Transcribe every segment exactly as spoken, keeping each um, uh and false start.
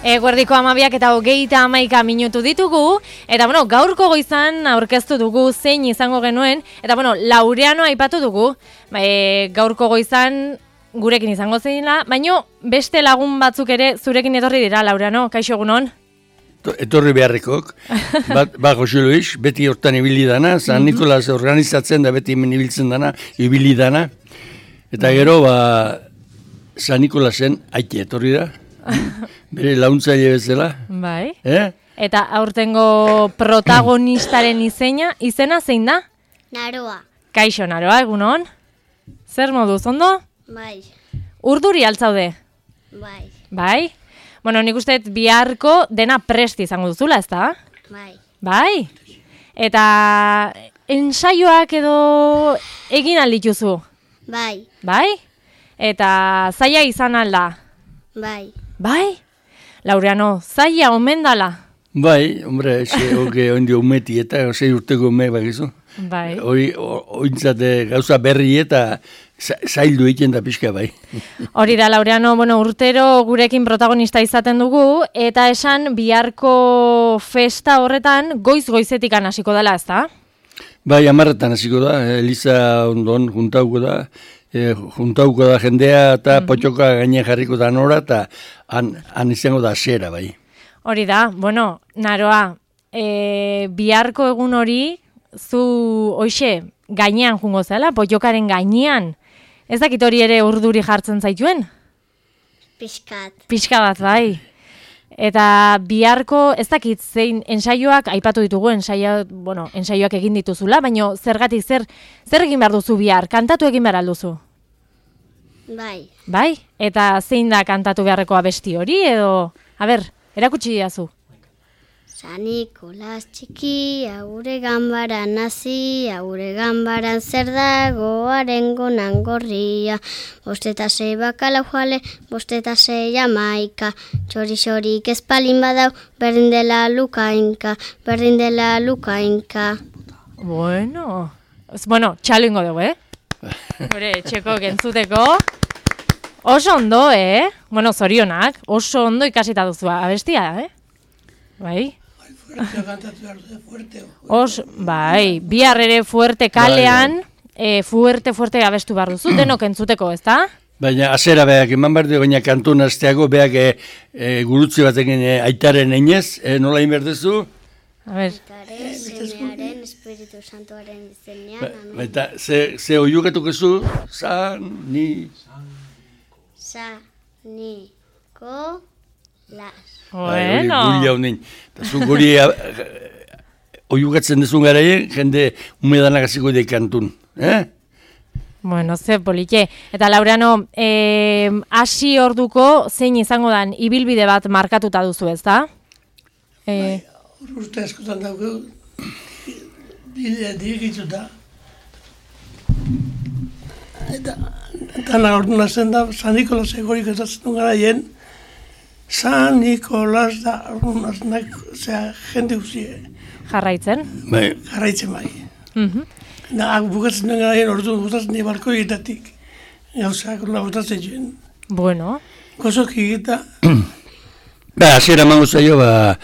Eguerdiko amabiak eta hogeita hamaika minutu ditugu, eta bueno, gaurko goizan aurkeztu dugu zein izango genuen, eta bueno, Laureano aipatu dugu, e, gaurko goizan gurekin izango zeina, baino beste lagun batzuk ere zurekin etorri dira, Laureano, kaixo egunon? Etorri beharrekok, bat, bat Jose Luis, beti hortan ibili dana, San Nikolas organizatzen da beti hemen ibiltzen dana, ibili dana, eta gero, ba, San Nikolasen aite etorri da. Bere launtzaile bezala. Bai. Eh? Eta aurtengo protagonistaren izena, izena zein da? Naroa. Kaixo, Naroa, egunon? Zer moduz, ondo? Bai. Urduri altzaude? Bai. Bai? Bueno, nik uste biharko dena prest izango duzula, ez da? Bai. Bai? Eta ensaioak edo egin aldituzu? Bai. Bai? Eta zaila izan alda? Bai. Bai? Laureano, zaila omen dala? Bai, hombre, ze hoge ondi umeti eta zei urteko ume bakizu. Bai. Hori, ointzate gauza berri eta zaildu egiten da pixka bai. Hori da, Laureano, bueno, urtero gurekin protagonista izaten dugu, eta esan biharko festa horretan goiz-goizetik hasiko dela, ez da? Bai, amarretan hasiko da, Eliza ondon juntauko da, e, juntauko da jendea eta mm-hmm. potxoka gaine jarriko da nora, eta han, han izango da zera, bai. Hori da, bueno, Naroa, e, biharko egun hori, zu, hoxe, gainean jungo zela, potxokaren gainean, ez dakit hori ere urduri jartzen zaituen? Piskat. Pixka bat, bai. Eta biharko, ez dakit zein ensaioak, aipatu ditugu, ensaio, bueno, ensaioak egin dituzula, baina zergatik, zer, zer egin behar duzu bihar, kantatu egin behar alduzu? Bai. Bai? Eta zein da kantatu beharreko abesti hori, edo, a ber, erakutsi diazu. San Nikolas txiki, aure ganbaran nazi, aure ganbaran zer dago arengonan gorria. Bosteta sei bakala joale, bosteta sei jamaika. Txori-xorik espalin badau, berdin dela lukainka, berdin dela lukainka. Bueno, bueno, txalo ingo dugu, eh? Hore, txeko gentzuteko. Oso ondo, eh? Bueno, zorionak, oso ondo ikasita duzu abestia, eh? Bai? Os, bai, bihar ere fuerte kalean, e, fuerte, fuerte abestu behar duzu, denok entzuteko, ez da? Baina, azera beak, eman behar du, baina kantu nazteago, beak e, e, gurutzi batekin e, aitaren einez, e, nola inberdezu? A ber. Aitaren, semearen, Espiritu Santuaren izenean, amen. Eta, ze, ze oiukatuko zu? San, ni... Sa, ni, ko, las. Bueno. Gulia honin. Eta zu guri oiukatzen dezun garaien, jende umedanak hasiko de kantun. Eh? Bueno, ze politxe. Eta Laureano, eh, hasi orduko zein izango dan ibilbide bat markatuta duzu, ez da? Eh, bai, urte askotan dauke, bidea digitu da. Eta, dana ordu nazen da, San Nikolas egorik ezatzen garaien, San Nikolas da, ordunak, zera, jende guzie. Jarraitzen? Bai. Jarraitzen bai. Mm-hmm. Da, bukatzen den garaien, orduan gustatzen dira balkoietatik. Gauzak, orduan gustatzen joen. Bueno. Gozok egita. Ba, azera mango zaio, ba,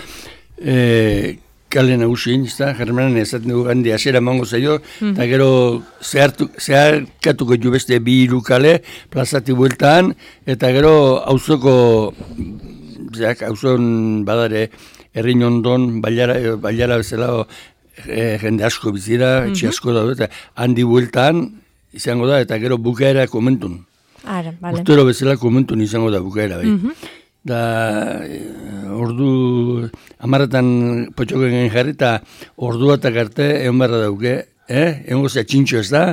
e, kale nagusien, ez da, jarremanen ezaten dugu handi, azera mango zaio, eta mm-hmm. gero zehartu, zeharkatuko jo beste bi hiru kale, plazati bueltan, eta gero auzoko, zeak, auzon badare, herrin ondon, bailara, bailara bezala, e, jende asko bizira, mm-hmm. etxe asko daude, eta handi bueltan izango da, eta gero bukaera komentun. Ara, bale. Urtero bezala komentun izango da bukaera, bai. Mm-hmm. Da, ordu, amarretan potxoken jarri, eta ordu batak arte egon barra dauke, eh? Egon gozea txintxo ez da?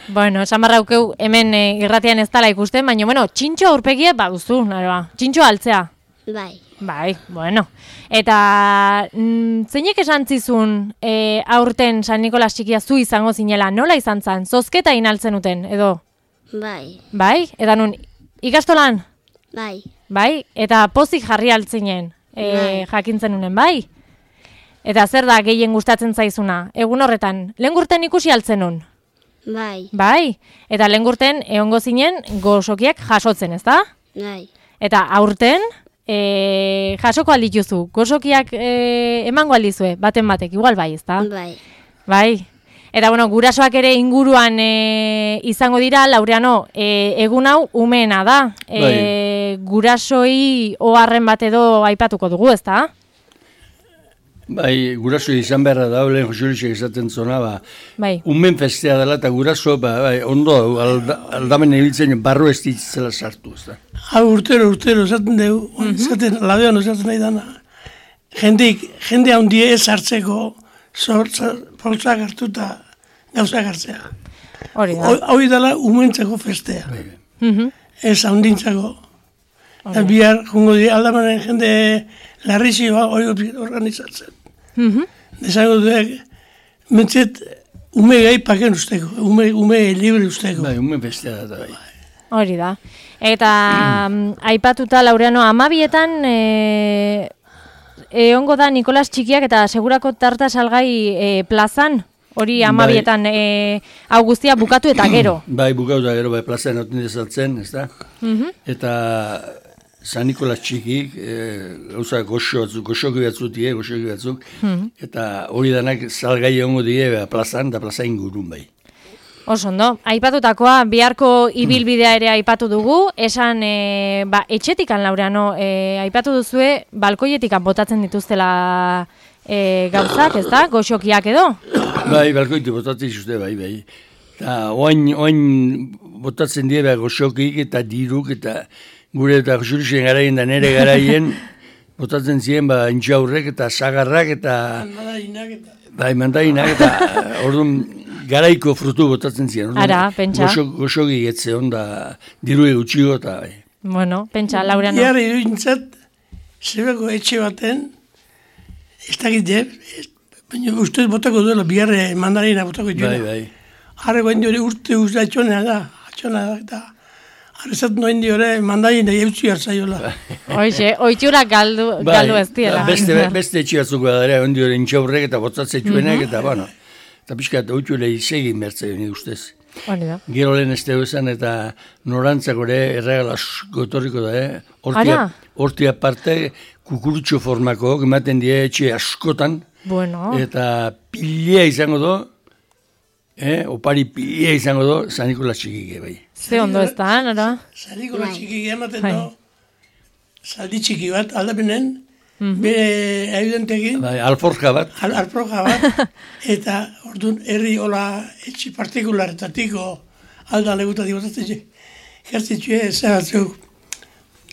Bueno, esan barra daukeu hemen e, irratian ez dala ikusten, baina, bueno, txintxo aurpegie baduzu, naroa. Txintxo altzea. Bai. Bai, bueno. Eta mm, zeinek esan zizun e, aurten San Nikolas txikia zu izango zinela, nola izan zan? Zozketa inaltzen uten, edo? Bai. Bai? Eta nun, ikastolan? Bai. Bai? Eta pozik jarri altzinen, e, Bai. jakintzen unen, bai? Eta zer da gehien gustatzen zaizuna? Egun horretan, lehen gurten ikusi altzen nun? Bai. Bai? Eta lehen gurten egongo zinen gozokiak jasotzen, ez da? Bai. Eta aurten, e, jasoko aldituzu, gozokiak e, emango aldizue, baten batek, igual bai, ezta? Bai. Bai. Eta, bueno, gurasoak ere inguruan e, izango dira, Laureano, e, egun hau umeena da. E, Bai. Gurasoi oharren bat edo aipatuko dugu, ezta? Bai, guraso izan beharra da, lehen Josurisek esaten zona, ba, Bai. umen festea dela eta guraso, ba, bai, ondo, alda, aldamen ibiltzen barru ez ditzela sartu, ez da. Hau urtero, urtero, esaten dugu, esaten, labean esaten nahi dana. Jendik, jende handie ez hartzeko, poltsak hartu eta gauzak hartzea. Hori da. Hau dela umentzako festea, Mhm. ez handintzako. Eta bihar, jungo di, aldamanen jende larrizioa hori organizatzen. Mhm. Desango duek, mentzet, ume gai paken usteko, ume, ume libre usteko. Bai, umen festea da, bai. Hori da. Eta mm, aipatuta, Laureano, amabietan e, egongo da Nikolas Txikiak eta segurako tarta salgai e, plazan, hori amabietan e, hau guztia bukatu eta gero. Bai, bukatu eta gero, bai, plazan oten dezatzen, ez da? Mhm. Eta San Nikolas Txikik, e, gauza goxo batzuk, goxoki batzuk die, goxoki batzuk, eta hori danak salgai egongo die ba, plazan, da plaza ingurun bai. Oso ondo, aipatutakoa biharko ibilbidea ere aipatu dugu, esan e, ba, etxetikan, Laureano, e, aipatu duzue, balkoietikan botatzen dituztela e, gauzak, ez da, goxokiak edo? Bai, balkoitu botatzen zuzte, bai, bai. Eta oain, oain botatzen die ba, goxokik eta diruk eta gure eta Josurisen garaien da nere garaien botatzen ziren ba, intxaurrek eta sagarrak eta Mandarinak eta... bai, mandainak eta orduan garaiko frutu botatzen ziren. Orduan, Ara, pentsa. Goxo, goxoki etze onda diru egutxiko eta bai. Bueno, pentsa, Laureano. Bihar iruintzat, zebeko etxe baten, ez dakit jeb, baina ustez botako duela, bihar mandarina botako Bai, duela. bai. Harre goen diore urte uste atxonea da, atxonea da, eta harrezat noen diore mandarina eutzi hartzaiola. Hoize, oitxurak galdu, galdu ez diela. Beste, beste etxe batzuk badare, ondi hori intxaurrek eta botzatzen txuenak, eta bueno, eta pixka eta oitxure izegin bertzen ni ustez. Hori da. Gero lehen ez dugu esan eta norantzako ere erregala gotorriko da, eh? Hortia, Ara. hortia parte kukurutxo formako, ematen die etxe askotan, Bueno, eta pilea izango do, eh? Opari pilea izango do, San Nikolas Txikike bai. ze ondo ez da, nora? Zariko la txiki ematen Bai. do, zaldi txiki bat, aldapenen, bere evidentekin, Bai, alforja bat, al, alproja bat, eta orduan herri hola etxi partikularretatiko alda legutatik botatzen txe, jertzen txe, zehatzuk,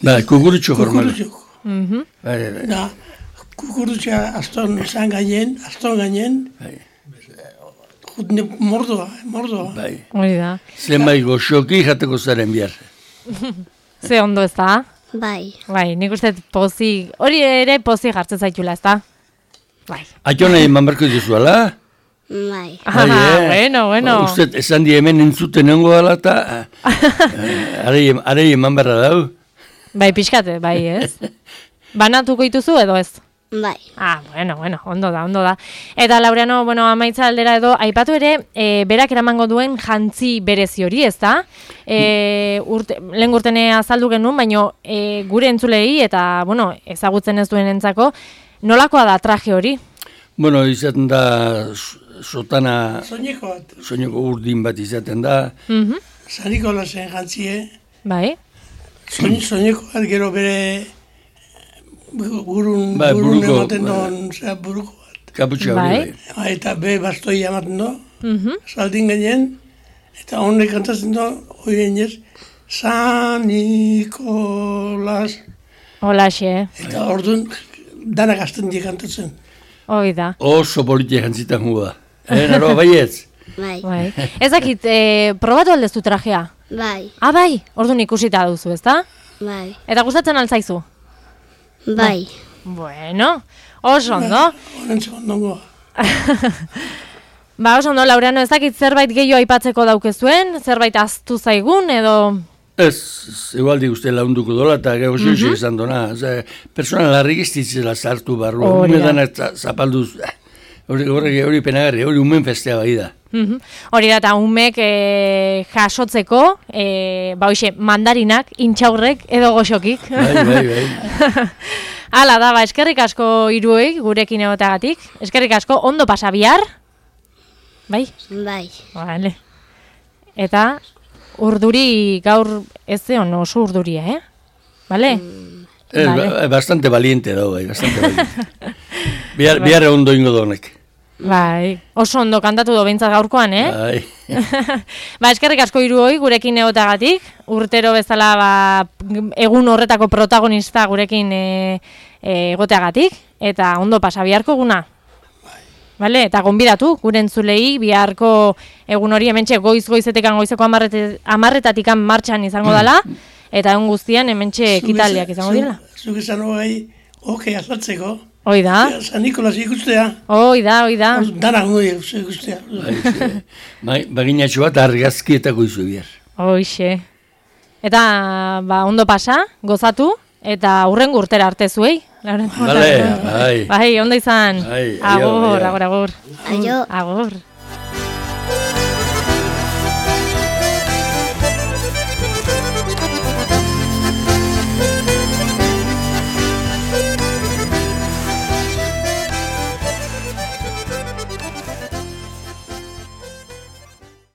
bai, kukurutxo formako. kukurutxuk. Mhm. Bai, bai, Da, kukurutxa aston zan gainen, aston gainen, bai, jutne mordoa, mordoa. bai. Hori da. Zenbait goxoki jateko zaren bihar. Ze ondo ez da? Bai. Bai, nik uste pozi, hori ere pozi jartzen zaitula, ez da? Bai. Atxona eman barko dizuala? Bai. Ah, eh. bueno, bueno. Uste, esan di hemen entzuten nengo dela eta arei eman barra dau. Bai, pixkate, bai, ez? Banatuko dituzu edo ez? Bai. Ah, bueno, bueno, ondo da, ondo da. Eta Laureano, bueno, amaitza aldera edo, aipatu ere, e, berak eramango duen jantzi berezi hori, ez da? E, urte, lehen urtene azaldu genuen, baino e, gure entzulei eta, bueno, ezagutzen ez duen entzako, nolakoa da traje hori? Bueno, izaten da sotana, Soineko bat, soineko urdin bat izaten da. Mhm. Saniko lasen jantzie, Bai, soin, soineko bat gero bere burun, Bai, burun buruko, ematen bai. doan, zera buruko bat. Kaputxa Bai. hori bai. Ba, eta be bastoi ematen do, mhm. saldin gainen, eta honek kantatzen do, horien ez, San Nikolas, Holaxe, eta orduan danak azten die kantatzen. hoi da. Oso politia jantzitan gu da. Eh, naro, baietz? Bai. Bai. Ez dakit, e, probatu aldezu trajea? Bai. Ah, bai, orduan ikusita duzu, ez da? Bai. Eta gustatzen altzaizu? Bai. Bueno, oso ondo. Horrentzeko ondongoa. Ba, oso ondo, Laureano, ez dakit zerbait gehiago aipatzeko daukezuen, zerbait aztu zaigun, edo... Ez, igualdi uste launduko dola eta gero xoixo izan dona. Oza, persona larrik ez ditzela sartu barru. Hori da. Ume dana zapalduz. Hori, hori, hori penagarri, hori umen festea bai da. Mhm. Hori da, eta umek e, jasotzeko, e, ba hoxe, mandarinak, intxaurrek edo goxokik. Bai, bai, bai. Hala da, ba, eskerrik asko hiruei gurekin egotagatik. Eskerrik asko, ondo pasa bihar. Bai? Bai. Vale. Eta urduri gaur ez zeon oso urduria, eh? Vale? Es Vale. ba- bastante valiente dago, bai, bastante valiente. Bihar, bihar ondo ingo donek. Bai, oso ondo kantatu do behintzat gaurkoan, eh? Bai. Ba, eskerrik asko hiruoi gurekin egotagatik, urtero bezala ba, egun horretako protagonista gurekin e, e, egoteagatik, eta ondo pasa biharko eguna. Vale, eta gonbidatu, gure entzulei, biharko egun hori hementxe goiz-goizetekan goizeko amarretatikan martxan izango dela, eta egun guztian hementxe ekitaldiak izango dira. Zuk esan hogei, okei azaltzeko. Hoi da, San Nikolas ikustea. hoi da, hoi da. Danak goi ikustea. Bai, baginatxo bat argazkietako izu bihar. Hoixe. Eta, ba, ondo pasa, gozatu, eta hurrengo urtera arte zuei. Vale, bai. Bai, ondo izan. Bai, aio, Agur, aio. agur, agur. Aio. Agur.